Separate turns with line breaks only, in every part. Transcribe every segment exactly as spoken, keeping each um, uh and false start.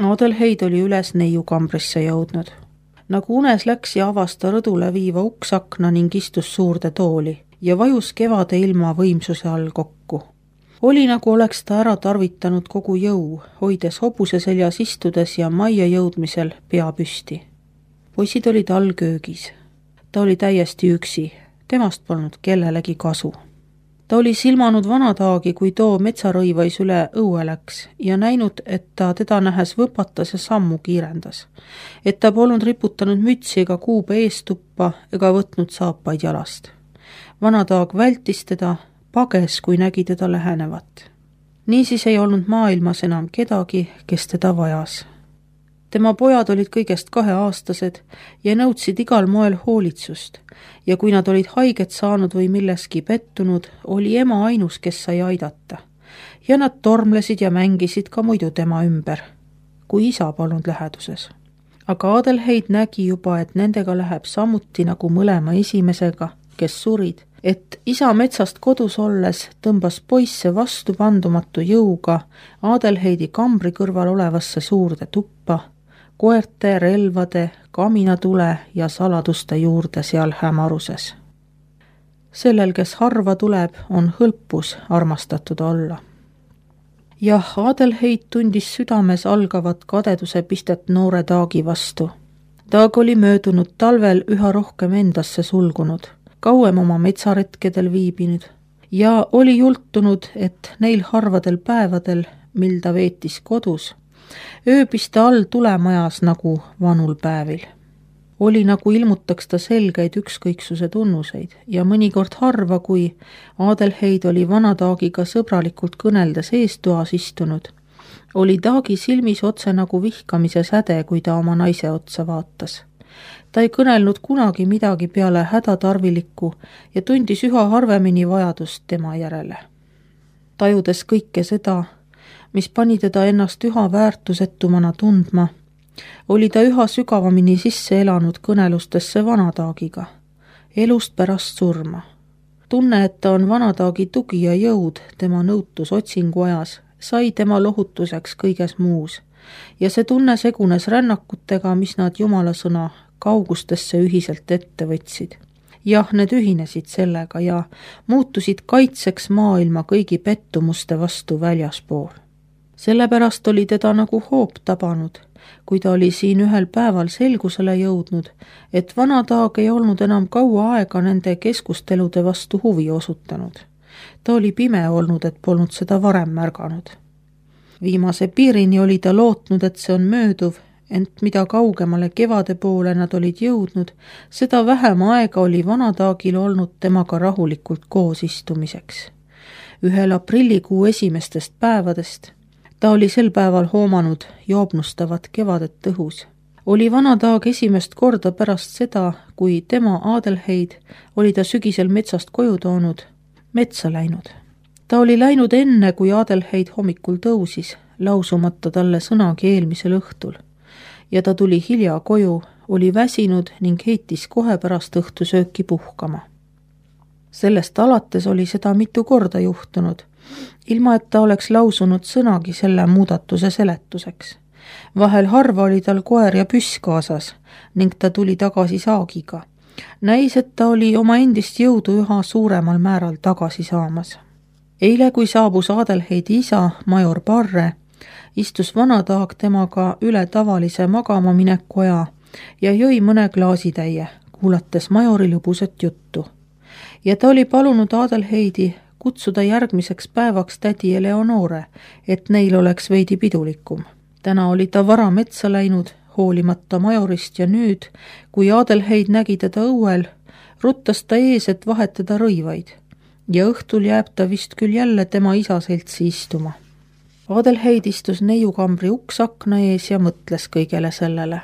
Adelheid oli üles neiukambrisse jõudnud. Nagu unes läks ja avas ta rõdule viiva uksakna ning istus suurde tooli ja vajus kevade ilma võimsuse all kokku. Oli nagu oleks ta ära tarvitanud kogu jõu, hoides hobuse seljas istudes ja majja jõudmisel pea püsti. Poisid olid all köögis. Ta oli täiesti üksi, temast polnud kellelegi kasu. Ta oli silmanud vanataagi, kui too metsarõivais üle õue läks ja näinud, et ta teda nähes võpatas ja sammu kiirendas. Et ta polnud riputanud mütsi ega kuube eestuppa ega võtnud saapaid jalast. Vanataag vältis teda, pages, kui nägi teda lähenevat. Niisiis ei olnud maailmas enam kedagi, kes teda vajas. Tema pojad olid kõigest kaheaastased ja nõudsid igal moel hoolitsust ja kui nad olid haiget saanud või milleski pettunud, oli ema ainus, kes sai aidata. Ja nad tormlesid ja mängisid ka muidu tema ümber, kui isa polnud läheduses. Aga Adelheid nägi juba, et nendega läheb samuti nagu mõlema esimesega, kes surid, et isa metsast kodus olles tõmbas poisse vastu pandumatu jõuga Adelheidi kambri kõrval olevasse suurde tuppa, koerte, relvade, kaminatule ja saladuste juurde seal hämaruses. Sellel, kes harva tuleb, on hõlpus armastatud olla. Jah, Adelheid tundis südames algavat kadeduse pistet noore Taagi vastu. Taag oli möödunud talvel üha rohkem endasse sulgunud, kauem oma metsaretkedel viibinud ja oli jultunud, et neil harvadel päevadel, mil ta veetis kodus, ööbis ta all tulemajas nagu vanul päevil. Oli nagu ilmutaks ta selgeid ükskõiksuse tunnuseid ja mõnikord harva, kui Adelheid oli vanataagiga sõbralikult kõneldes eestoas istunud, oli Taagi silmis otse nagu vihkamise säde, kui ta oma naise otsa vaatas. Ta ei kõnelnud kunagi midagi peale hädatarvilikku ja tundis üha harvemini vajadust tema järele. Tajudes kõike seda, mis pani teda ennast üha väärtusetumana tundma, oli ta üha sügavamini sisse elanud kõnelustesse vanataagiga, elust pärast surma. Tunne, et ta on vanataagi tugi ja jõud tema nõutus otsingu ajas, sai tema lohutuseks kõiges muus ja see tunne segunes rännakutega, mis nad Jumala sõna kaugustesse ühiselt ette võtsid. Jah, need ühinesid sellega ja muutusid kaitseks maailma kõigi pettumuste vastu väljaspool. Sellepärast oli teda nagu hoop tabanud, kui ta oli siin ühel päeval selgusele jõudnud, et vanataag ei olnud enam kaua aega nende keskustelude vastu huvi osutanud. Ta oli pime olnud, et polnud seda varem märganud. Viimase piirini oli ta lootnud, et see on mööduv, ent mida kaugemale kevade poole nad olid jõudnud, seda vähem aega oli vanataagil olnud temaga rahulikult koos istumiseks. Ühel aprillikuu esimestest päevadest ta oli sel päeval hoomanud joobnustavat kevadet õhus. Oli vanataag esimest korda pärast seda, kui tema Adelheid oli ta sügisel metsast koju toonud, metsa läinud. Ta oli läinud enne, kui Adelheid hommikul tõusis, lausumata talle sõnagi eelmisel õhtul. Ja ta tuli hilja koju, oli väsinud ning heitis kohe pärast õhtusööki puhkama. Sellest alates oli seda mitu korda juhtunud, ilma et ta oleks lausunud sõnagi selle muudatuse seletuseks. Vahel harva oli tal koer ja püss kaasas ning ta tuli tagasi saagiga. Näis, et ta oli oma endist jõudu üha suuremal määral tagasi saamas. Eile, kui saabus Adelheidi isa, major Parre, istus vanataag temaga üle tavalise magama mineku aja ja jõi mõne klaasitäie, kuulates majori lõbusat juttu. Ja ta oli palunud Adelheidi kutsuda järgmiseks päevaks tädi Eleonore, et neil oleks veidi pidulikum. Täna oli ta vara metsa läinud, hoolimata majorist ja nüüd, kui Adelheid nägi teda õuel, ruttas ta ees, et vahetada rõivaid ja õhtul jääb ta vist küll jälle tema isa seltsi istuma. Adelheid istus neiukambri uksakna ees ja mõtles kõigele sellele.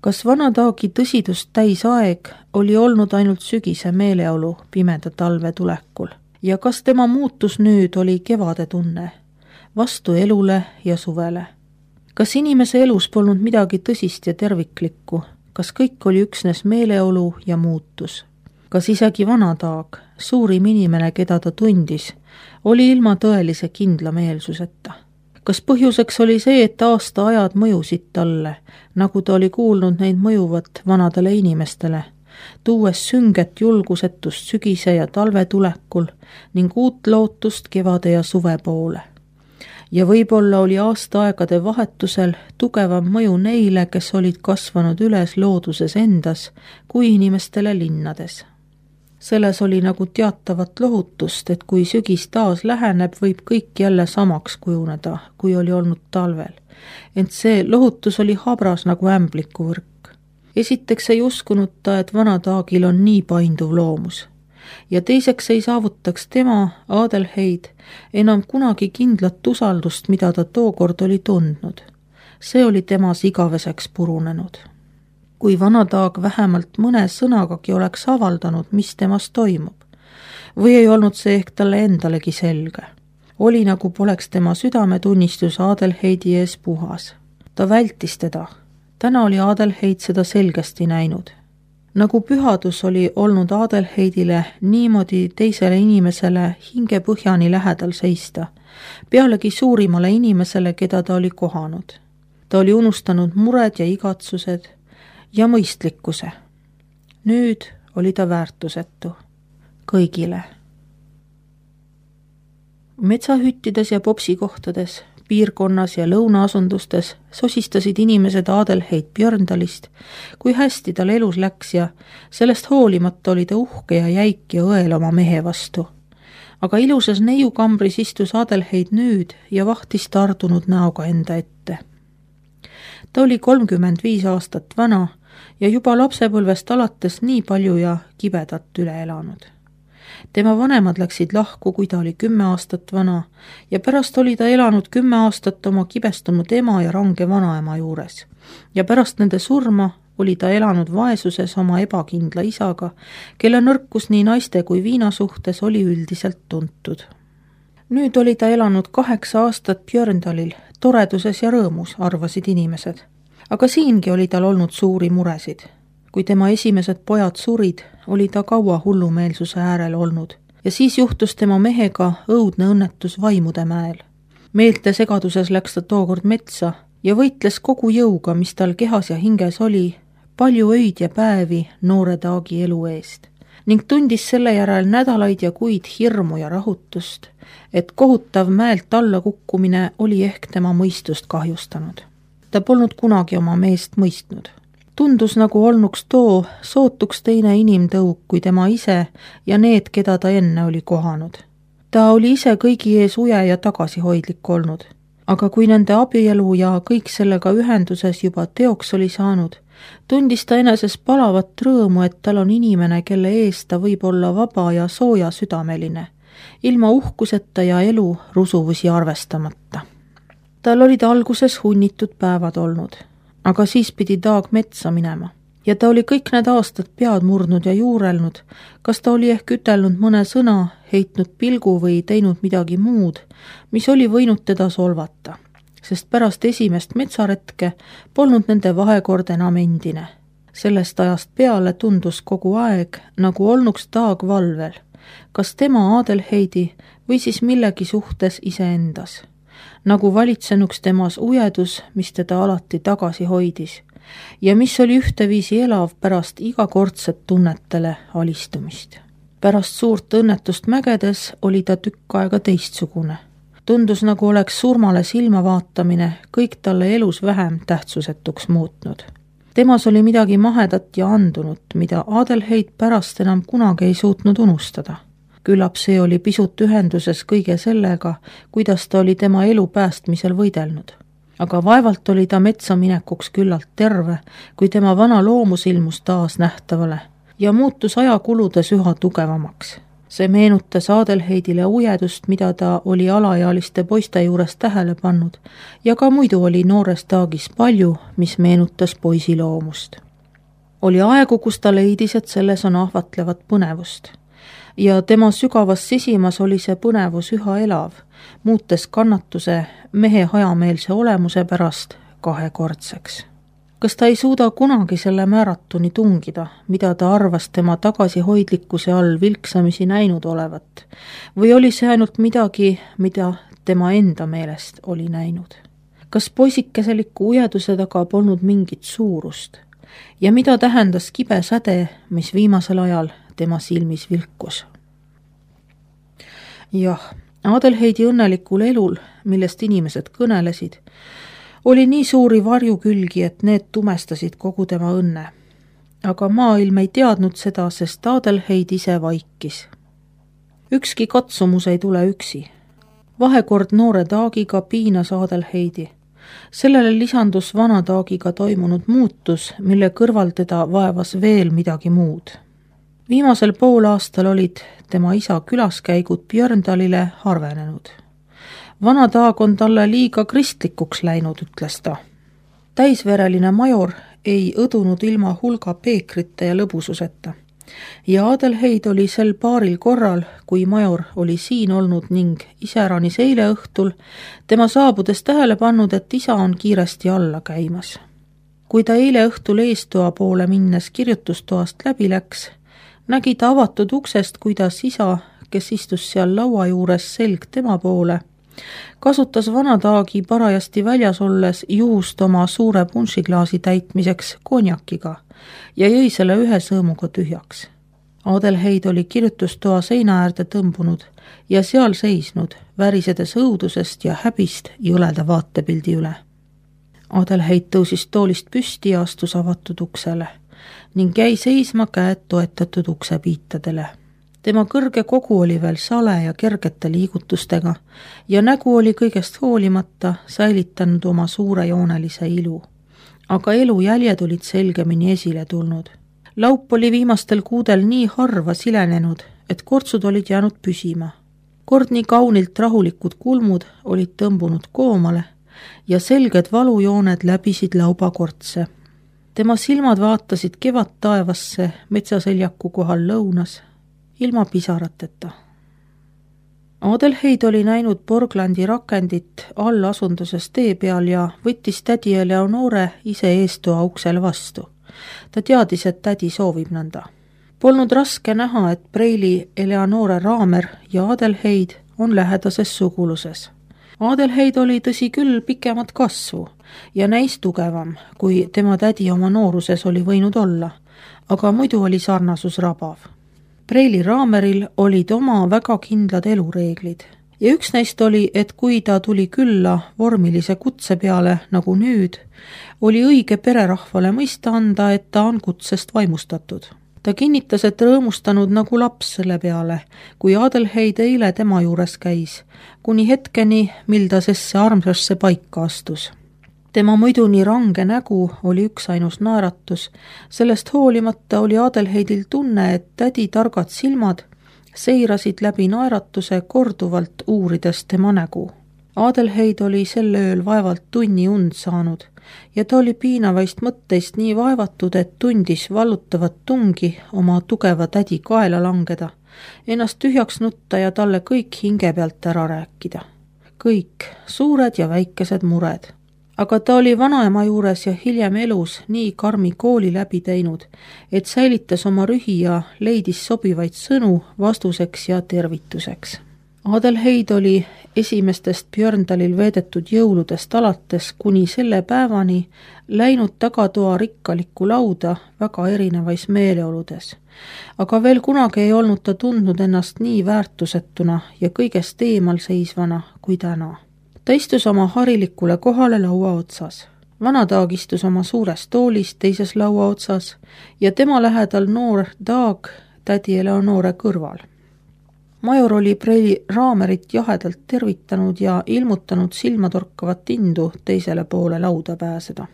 Kas vanataagi tõsidust täis aeg oli olnud ainult sügise meeleolu pimeda talve tulekul ja kas tema muutus nüüd oli kevade tunne, vastu elule ja suvele? Kas inimese elus polnud midagi tõsist ja terviklikku, kas kõik oli üksnes meeleolu ja muutus? Kas isegi vanataag, suurim inimene, keda ta tundis, oli ilma tõelise kindlameelsuseta? Kas põhjuseks oli see, et aastaajad mõjusid talle, nagu ta oli kuulnud neid mõjuvat vanadele inimestele, tuues sünget julgusetust sügise ja talve tulekul ning uut lootust kevade ja suve poole. Ja võib-olla oli aastaaegade vahetusel tugevam mõju neile, kes olid kasvanud üles looduses endas, kui inimestele linnades. Selles oli nagu teatavat lohutust, et kui sügis taas läheneb, võib kõik jälle samaks kujuneda, kui oli olnud talvel. Ent see lohutus oli habras nagu ämblikuvõrk. Esiteks ei uskunud ta, et vana Taagil on nii painduv loomus. Ja teiseks ei saavutaks tema, Adelheid, enam kunagi kindlat usaldust, mida ta tookord oli tundnud. See oli temas igaveseks purunenud. Kui vana Taag vähemalt mõne sõnagagi oleks avaldanud, mis temas toimub. Või ei olnud see ehk talle endalegi selge. Oli nagu poleks tema südametunnistus Adelheidi ees puhas. Ta vältis teda. Täna oli Adelheid seda selgesti näinud. Nagu pühadus oli olnud Adelheidile niimoodi teisele inimesele hingepõhjani lähedal seista, pealegi suurimale inimesele, keda ta oli kohanud. Ta oli unustanud mured ja igatsused ja mõistlikkuse. Nüüd oli ta väärtusetu kõigile. Metsahüttides ja popsikohtades, piirkonnas ja lõunaasundustes sosistasid inimesed Adelheid Björndalist, kui hästi tal elus läks ja sellest hoolimata oli ta uhke ja jäik ja õel oma mehe vastu. Aga ilusas neiukambris istus Adelheid nüüd ja vahtis tardunud näoga enda ette. Ta oli kolmkümmend viis aastat vana ja juba lapsepõlvest alates nii palju ja kibedat üle elanud. Tema vanemad läksid lahku, kui ta oli kümme aastat vana ja pärast oli ta elanud kümme aastat oma kibestunud ema ja range vanaema juures. Ja pärast nende surma oli ta elanud vaesuses oma ebakindla isaga, kelle nõrkus nii naiste kui viina suhtes oli üldiselt tuntud. Nüüd oli ta elanud kaheksa aastat Björndalil, toreduses ja rõõmus, arvasid inimesed. Aga siingi oli tal olnud suuri muresid. Kui tema esimesed pojad surid, oli ta kaua hullumeelsuse äärel olnud ja siis juhtus tema mehega õudne õnnetus Vaimude mäel. Meelte segaduses läks ta tookord metsa ja võitles kogu jõuga, mis tal kehas ja hinges oli, palju öid ja päevi noore Taagi elu eest ning tundis selle järel nädalaid ja kuid hirmu ja rahutust, et kohutav mäelt alla kukkumine oli ehk tema mõistust kahjustanud. Ta polnud kunagi oma meest mõistnud. Tundus nagu olnuks too sootuks teine inimtõug kui tema ise ja need, keda ta enne oli kohanud. Ta oli ise kõigi ees uje ja tagasihoidlik olnud, aga kui nende abielu ja kõik sellega ühenduses juba teoks oli saanud, tundis ta eneses palavat rõõmu, et tal on inimene, kelle ees ta võib olla vaba ja sooja südameline, ilma uhkuseta ja elu rusuvusi arvestamata. Tal olid alguses hunnitud päevad olnud, aga siis pidi Taag metsa minema ja ta oli kõik need aastad pead murdnud ja juurelnud, kas ta oli ehk ütelnud mõne sõna, heitnud pilgu või teinud midagi muud, mis oli võinud teda solvata, sest pärast esimest metsaretke polnud nende vahekord enam endine. Sellest ajast peale tundus kogu aeg, nagu olnuks Taag valvel, kas tema Adelheidi või siis millegi suhtes iseendas, nagu valitsenuks temas ujedus, mis teda alati tagasi hoidis ja mis oli ühteviisi elav pärast igakordset tunnetele alistumist. Pärast suurt õnnetust mägedes oli ta tükk aega teistsugune. Tundus, nagu oleks surmale silma vaatamine kõik talle elus vähem tähtsusetuks muutnud. Temas oli midagi mahedat ja andunut, mida Adelheid pärast enam kunagi ei suutnud unustada. Küllap see oli pisut ühenduses kõige sellega, kuidas ta oli tema elu päästmisel võidelnud. Aga vaevalt oli ta metsa minekuks küllalt terve, kui tema vana loomus ilmus taas nähtavale ja muutus ajakuludes üha tugevamaks. See meenutas Adelheidile ujedust, mida ta oli alaealiste poiste juures tähele pannud ja ka muidu oli noores Taagis palju, mis meenutas poisi loomust. Oli aegu, kus ta leidis, et selles on ahvatlevat põnevust. Ja tema sügavas sisimas oli see põnevus üha elav, muutes kannatuse mehe hajameelse olemuse pärast kahekordseks. Kas ta ei suuda kunagi selle määratuni tungida, mida ta arvas tema tagasihoidlikkuse all vilksamisi näinud olevat, või oli see ainult midagi, mida tema enda meelest oli näinud. Kas poisikeseliku ujeduse taga polnud mingit suurust ja mida tähendas kibe säde, mis viimasel ajal tema silmis vilkus? Jah, Adelheidi õnnelikul elul, millest inimesed kõnelesid, oli nii suuri varjukülgi, et need tumestasid kogu tema õnne. Aga maailm ei teadnud seda, sest Adelheid ise vaikis. Ükski katsumus ei tule üksi. Vahekord noore Taagiga piinas Adelheidi. Sellele lisandus vana Taagiga toimunud muutus, mille kõrval teda vaevas veel midagi muud. Viimasel pool aastal olid tema isa külaskäigud Björndalile harvenenud. Vana Taag on talle liiga kristlikuks läinud, ütles ta. Täisvereline major ei õdunud ilma hulga peekrite ja lõbususeta. Ja Adelheid oli sel paaril korral, kui major oli siin olnud ning iseäranis eile õhtul, tema saabudes tähele pannud, et isa on kiiresti alla käimas. Kui ta eile õhtul eestoa poole minnes kirjutustoast läbi läks, nägi ta avatud uksest, kuidas isa, kes istus seal laua juures selg tema poole, kasutas vana Taagi parajasti väljas olles juust oma suure punšiklaasi täitmiseks konjakiga ja jõi selle ühe sõõmuga tühjaks. Adelheid oli kirjutustoa seina äärde tõmbunud ja seal seisnud, värisedes õudusest ja häbist jõleda vaatepildi üle. Adelheid tõusis toolist püsti ja astus avatud uksele ning jäi seisma käed toetatud uksepiitadele. Tema kõrge kogu oli veel sale ja kergete liigutustega ja nägu oli kõigest hoolimata säilitanud oma suurejoonelise ilu. Aga elujäljed olid selgemini esile tulnud. Laup oli viimastel kuudel nii harva silenenud, et kortsud olid jäänud püsima. Kord nii kaunilt rahulikud kulmud olid tõmbunud koomale ja selged valujooned läbisid lauba kortse. Tema silmad vaatasid kevad taevasse metsaseljaku kohal lõunas, ilma pisarateta. Adelheid oli näinud Borglandi rakendit all asunduses tee peal ja võttis tädi Eleonore ise eestoa uksele vastu. Ta teadis, et tädi soovib nõnda. Polnud raske näha, et Preili Eleonore Raamer ja Adelheid on lähedases suguluses. Adelheid oli tõsi küll pikemat kasvu ja näis tugevam, kui tema tädi oma nooruses oli võinud olla, aga muidu oli sarnasus rabav. Preili Raameril olid oma väga kindlad elureeglid ja üks neist oli, et kui ta tuli külla vormilise kutse peale nagu nüüd, oli õige pererahvale mõista anda, et ta on kutsest vaimustatud. Ta kinnitas, et rõõmustanud nagu laps selle peale, kui Adelheid eile tema juures käis, kuni hetkeni, mil ta sesse armsasse paika astus. Tema muidu nii range nägu oli üks ainus naeratus, sellest hoolimata oli Adelheidil tunne, et tädi targad silmad seirasid läbi naeratuse korduvalt uurides tema nägu. Adelheid oli sel ööl vaevalt tunni und saanud ja ta oli piinavaist mõtteist nii vaevatud, et tundis vallutavat tungi oma tugeva tädi kaela langeda, ennast tühjaks nutta ja talle kõik hinge pealt ära rääkida. Kõik, suured ja väikesed mured. Aga ta oli vanaema juures ja hiljem elus nii karmi kooli läbi teinud, et säilitas oma rühi ja leidis sobivaid sõnu vastuseks ja tervituseks. Adelheid oli esimestest Björndalil veedetud jõuludest alates kuni selle päevani läinud tagatoa rikkalikku lauda väga erinevais meeleoludes. Aga veel kunagi ei olnud ta tundnud ennast nii väärtusetuna ja kõigest eemal seisvana kui täna. Ta istus oma harilikule kohale laua otsas. Vana Taag istus oma suures toolis teises laua otsas ja tema lähedal noor Taag tädi Eleonore kõrval. Major oli Preili Raamerit jahedalt tervitanud ja ilmutanud silmatorkavat indu teisele poole lauda pääseda.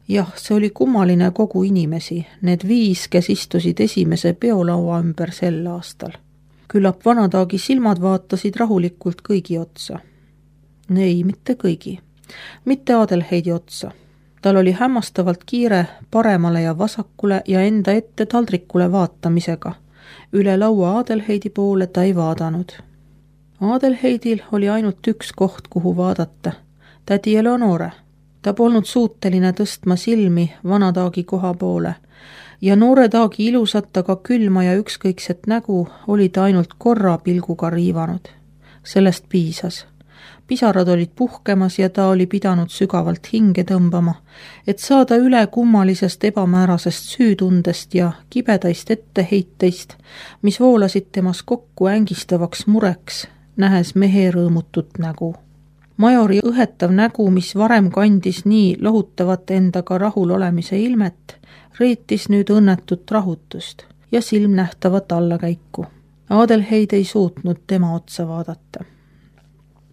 Jah, see oli kummaline kogu inimesi, need viis, kes istusid esimese peolaua ümber sel aastal. Küllap Vana Taagi silmad vaatasid rahulikult kõigi otsa. Ei, mitte kõigi. Mitte Adelheidi otsa. Tal oli hämmastavalt kiire paremale ja vasakule ja enda ette taldrikule vaatamisega. Üle laua Adelheidi poole ta ei vaadanud. Adelheidil oli ainult üks koht, kuhu vaadata. Tädi Eleonore. Ta polnud suuteline tõstma silmi Vana Taagi koha poole ja noore Taagi ilusat, aga külma ja ükskõikset nägu oli ta ainult korra pilguga riivanud. Sellest piisas. Pisarad olid puhkemas ja ta oli pidanud sügavalt hinge tõmbama, et saada üle kummalisest ebamäärasest süütundest ja kibedaist etteheiteist, mis voolasid temas kokku ängistavaks mureks, nähes mehe rõõmutut nägu. Majori õhetav nägu, mis varem kandis nii lohutavat endaga rahul olemise ilmet, reetis nüüd õnnetut rahutust ja silmnähtavat allakäiku. Adelheid ei suutnud tema otsa vaadata.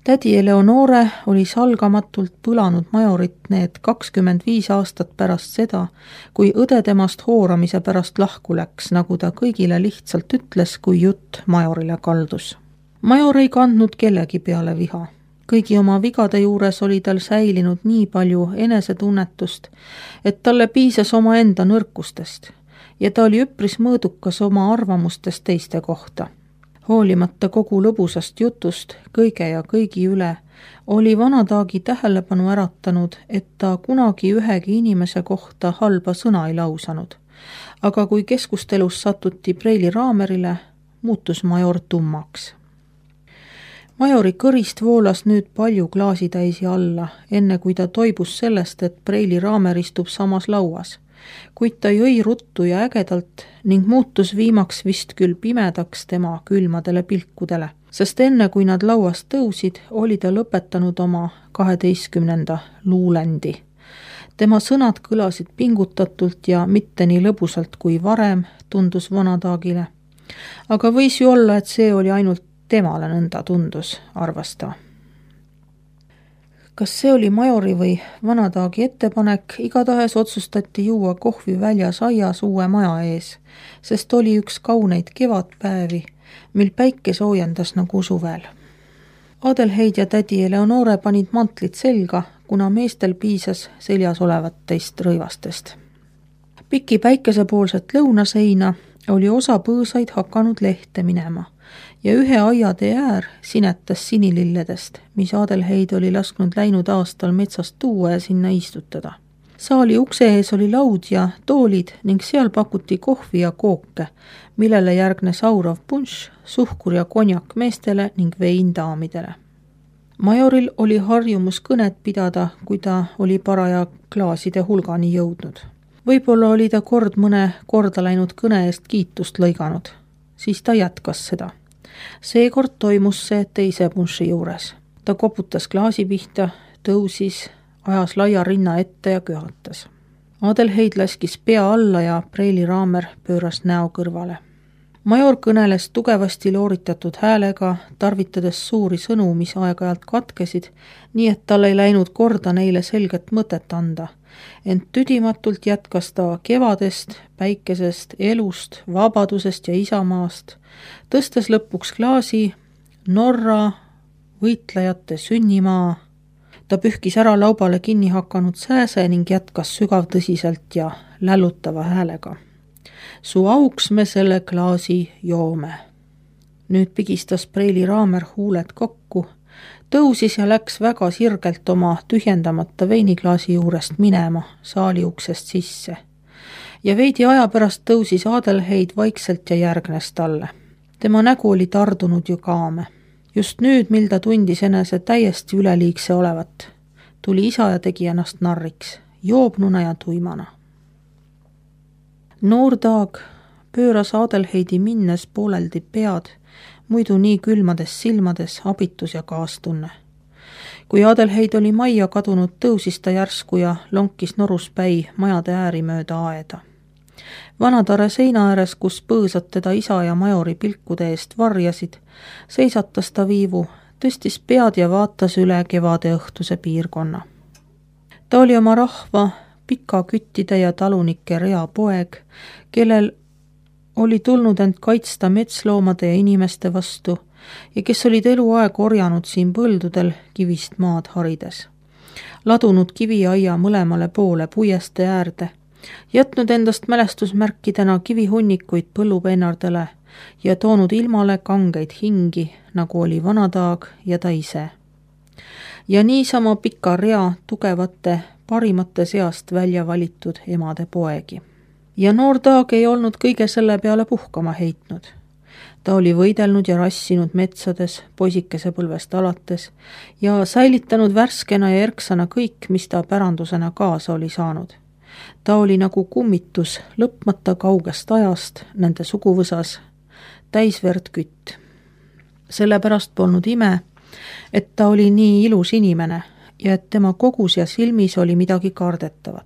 Tädi Eleonore oli salgamatult põlanud Majorit need kakskümmend viis aastat pärast seda, kui õde temast hooramise pärast lahku läks, nagu ta kõigile lihtsalt ütles, kui jutt Majorile kaldus. Major ei kandnud kellegi peale viha. Kõigi oma vigade juures oli tal säilinud nii palju enesetunnetust, et talle piisas oma enda nõrkustest ja ta oli üpris mõõdukas oma arvamustest teiste kohta. Hoolimata kogu lõbusast jutust kõige ja kõigi üle, oli vanataagi tähelepanu äratanud, et ta kunagi ühegi inimese kohta halba sõna ei lausanud. Aga kui keskustelus satuti Preili Raamerile, muutus Major tummaks. Majori kõrist voolas nüüd palju klaasitäisi alla, enne kui ta toibus sellest, et Preili Raamer istub samas lauas. Kuid ta jõi ruttu ja ägedalt ning muutus viimaks vist küll pimedaks tema külmadele pilkudele, sest enne kui nad lauast tõusid, oli ta lõpetanud oma kaheteistkümnenda luulendi. Tema sõnad kõlasid pingutatult ja mitte nii lõbusalt kui varem, tundus vanataagile. Aga võis ju olla, et see oli ainult temale nõnda tundus, arvas ta. Kas see oli Majori või vanataagi ettepanek, igatahes otsustati juua kohvi väljas aias uue maja ees, sest oli üks kauneid kevadpäevi, mil päike soojendas nagu suvel. Adelheid ja tädi Eleonore panid mantlit selga, kuna meestel piisas seljas olevatest rõivastest. Piki päikesepoolset lõunaseina oli osa põõsaid hakanud lehte minema ja ühe aiatee äär sinetas sinililledest, mis Adelheid oli lasknud läinud aastal metsast tuua ja sinna istutada. Saali ukse ees oli laud ja toolid ning seal pakuti kohvi ja kooke, millele järgnes aurav punš, suhkur ja konjak meestele ning vein daamidele. Majoril oli harjumus kõnet pidada, kui ta oli paraja klaaside hulgani jõudnud. Võib-olla oli ta kord mõne korda läinud kõne eest kiitust lõiganud, siis ta jätkas seda. Seekord toimus see teise punši juures. Ta koputas klaasi pihta, tõusis, ajas laia rinna ette ja köhatas. Adelheid laskis pea alla ja Preili Raamer pööras näo kõrvale. Major kõneles tugevasti looritatud häälega, tarvitades suuri sõnu, mis aeg-ajalt katkesid, nii et tal ei läinud korda neile selget mõtet anda. Ent tüdimatult jätkas ta kevadest, päikesest, elust, vabadusest ja isamaast, tõstes lõpuks klaasi Norra võitlejate sünnimaa. Ta pühkis ära laubale kinni hakanud sääse ning jätkas sügavtõsiselt ja lällutava häälega. Su auks me selle klaasi joome. Nüüd pigistas Preili Raamer huuled kokku, tõusis ja läks väga sirgelt oma tühjendamata veiniklaasi juurest minema saali uksest sisse. Ja veidi aja pärast tõusis Adelheid vaikselt ja järgnes talle. Tema nägu oli tardunud ju kaame. Just nüüd, mil ta tundis enese täiesti üleliigse olevat, tuli isa ja tegi ennast narriks, joobnuna ja tuimana. Noor taag pööras Adelheidi minnes pooleldi pead, muidu nii külmades silmades abitus ja kaastunne. Kui Adelheid oli majja kadunud, tõusis ta järsku ja lonkis noruspäi majade ääri mööda aeda. Vanatare seina ääres, kus põõsad teda isa ja Majori pilkude eest varjasid, seisatas ta viivu, tõstis pead ja vaatas üle kevade õhtuse piirkonna. Ta oli oma rahva, pika küttide ja talunike rea poeg, kellel oli tulnud end kaitsta metsloomade ja inimeste vastu ja kes olid eluaeg orjanud siin põldudel kivist maad harides. Ladunud kiviaia mõlemale poole puieste äärde, jätnud endast mälestusmärkidena kivihunnikuid põllupennardele ja toonud ilmale kangeid hingi, nagu oli vanataag ja ta ise. Ja niisama pika rea tugevate parimate seast välja valitud emade poegi. Ja noor taag ei olnud kõige selle peale puhkama heitnud. ta oli võidelnud ja rassinud metsades poisikese põlvest alates ja säilitanud värskena ja erksana kõik, mis ta pärandusena kaasa oli saanud. Ta oli nagu kummitus lõpmata kaugest ajast nende suguvõsas, täisverd kütt. Sellepärast polnud ime, et ta oli nii ilus inimene ja et tema kogus ja silmis oli midagi kardetavat.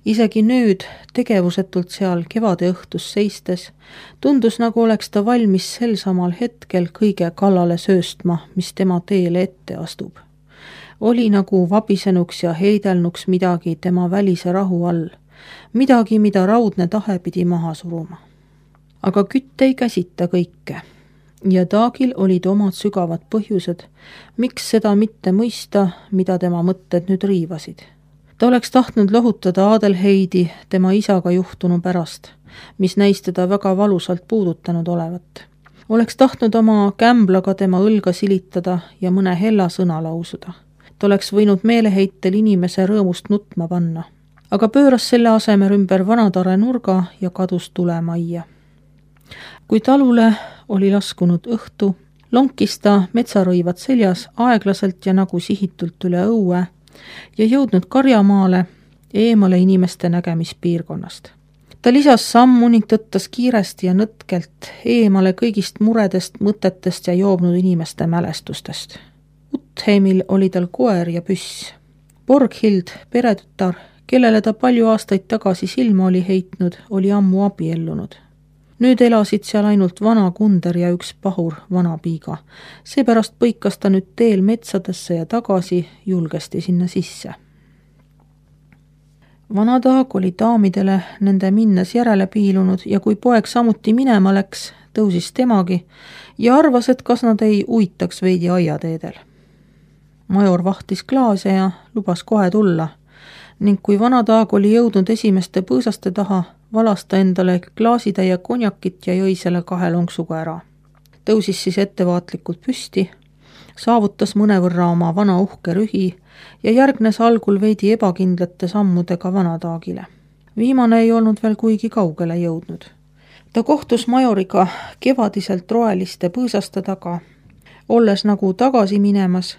Isegi nüüd, tegevusetult seal kevade õhtus seistes, tundus nagu oleks ta valmis sel samal hetkel kõige kallale sööstma, mis tema teele ette astub. Oli nagu vabisenuks ja heidelnuks midagi tema välise rahu all, midagi, mida raudne tahe pidi maha suruma. Aga kütt ei käsita kõike ja Taagil olid omad sügavad põhjused, miks seda mitte mõista, mida tema mõtted nüüd riivasid. Ta oleks tahtnud lohutada Adelheidi tema isaga juhtunu pärast, mis näis teda väga valusalt puudutanud olevat. Oleks tahtnud oma kämblaga tema õlga silitada ja mõne hella sõna lausuda. Ta oleks võinud meeleheitel inimese rõõmust nutma panna, aga pööras selle asemel ümber vanatare nurga ja kadus tulemajja. Kui talule oli laskunud õhtu, lonkis ta metsarõivad seljas aeglaselt ja nagu sihitult üle õue ja jõudnud karjamaale eemale inimeste nägemispiirkonnast. Ta lisas sammu ning tõttas kiiresti ja nõtkelt eemale kõigist muredest, mõtetest ja joobnud inimeste mälestustest. Utheimil oli tal koer ja püss. Borghild, peretütar, kellele ta palju aastaid tagasi silma oli heitnud, oli ammu abiellunud. Nüüd elasid seal ainult vana kunder ja üks pahur vana piiga. Seepärast põikas ta nüüd teel metsadesse ja tagasi julgesti sinna sisse. Vana Taag oli daamidele nende minnes järele piilunud ja kui poeg samuti minema läks, tõusis temagi ja arvas, et kas nad ei uitaks veidi aiateedel. Major vahtis klaase ja lubas kohe tulla ning kui Vana Taag oli jõudnud esimeste põõsaste taha, valas ta endale klaasitäie konjakit ja jõi selle kahe lonksuga ära. Tõusis siis ettevaatlikult püsti, saavutas mõnevõrra oma vana uhke rühi ja järgnes algul veidi ebakindlate sammudega Vana Taagile. Viimane ei olnud veel kuigi kaugele jõudnud. Ta kohtus majoriga kevadiselt roeliste põõsaste taga, olles nagu tagasi minemas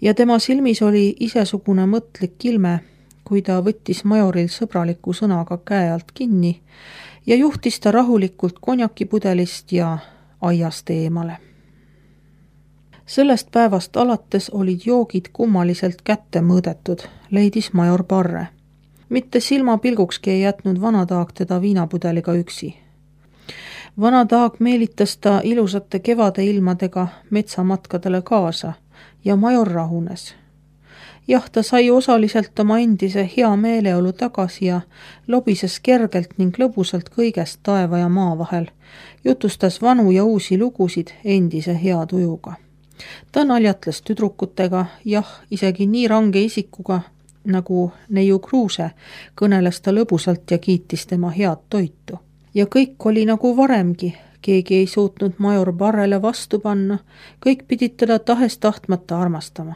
ja tema silmis oli isesugune mõtlik ilme, kui ta võttis majoril sõbraliku sõnaga käe alt kinni ja juhtis ta rahulikult konjakipudelist ja aiast eemale. Sellest päevast alates olid joogid kummaliselt kätte mõõdetud, leidis major Parre. Mitte silmapilgukski ei jätnud Vana Taag teda viinapudeliga üksi. Vana Taag meelitas ta ilusate kevade ilmadega metsamatkadele kaasa ja major rahunes. Jah, ta sai osaliselt oma endise hea meeleolu tagasi ja lobises kergelt ning lõbusalt kõigest taeva ja maa vahel, jutustas vanu ja uusi lugusid endise hea tujuga. Ta naljatles tüdrukutega, jah, isegi nii range isikuga, nagu neiu Kruuse, kõneles ta lõbusalt ja kiitis tema head toitu. Ja kõik oli nagu varemgi, keegi ei suutnud major Parrele vastu panna, kõik pidid teda tahes tahtmata armastama.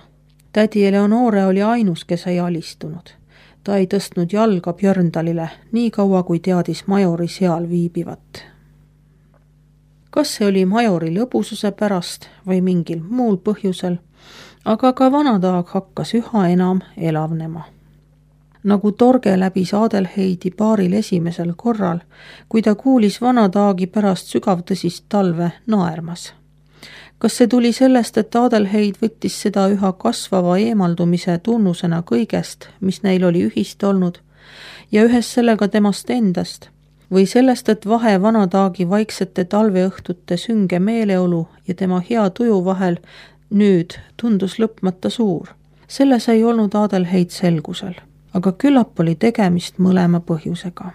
Tädi Eleonore oli ainus, kes ei alistunud. Ta ei tõstnud jalga Björndalile nii kaua, kui teadis majori seal viibivat. Kas see oli majori lõbususe pärast või mingil muul põhjusel, aga ka Vana Taag hakkas üha enam elavnema. Nagu torge läbis Adelheidi paaril esimesel korral, kui ta kuulis Vana Taagi pärast sügavtõsist talve naermas. Kas see tuli sellest, et Adelheid võttis seda üha kasvava eemaldumise tunnusena kõigest, mis neil oli ühist olnud, ja ühes sellega temast endast, või sellest, et vahe Vana Taagi vaiksete talveõhtute sünge meeleolu ja tema hea tuju vahel nüüd tundus lõpmata suur. Selles ei olnud Adelheid selgusel, aga küllap oli tegemist mõlema põhjusega.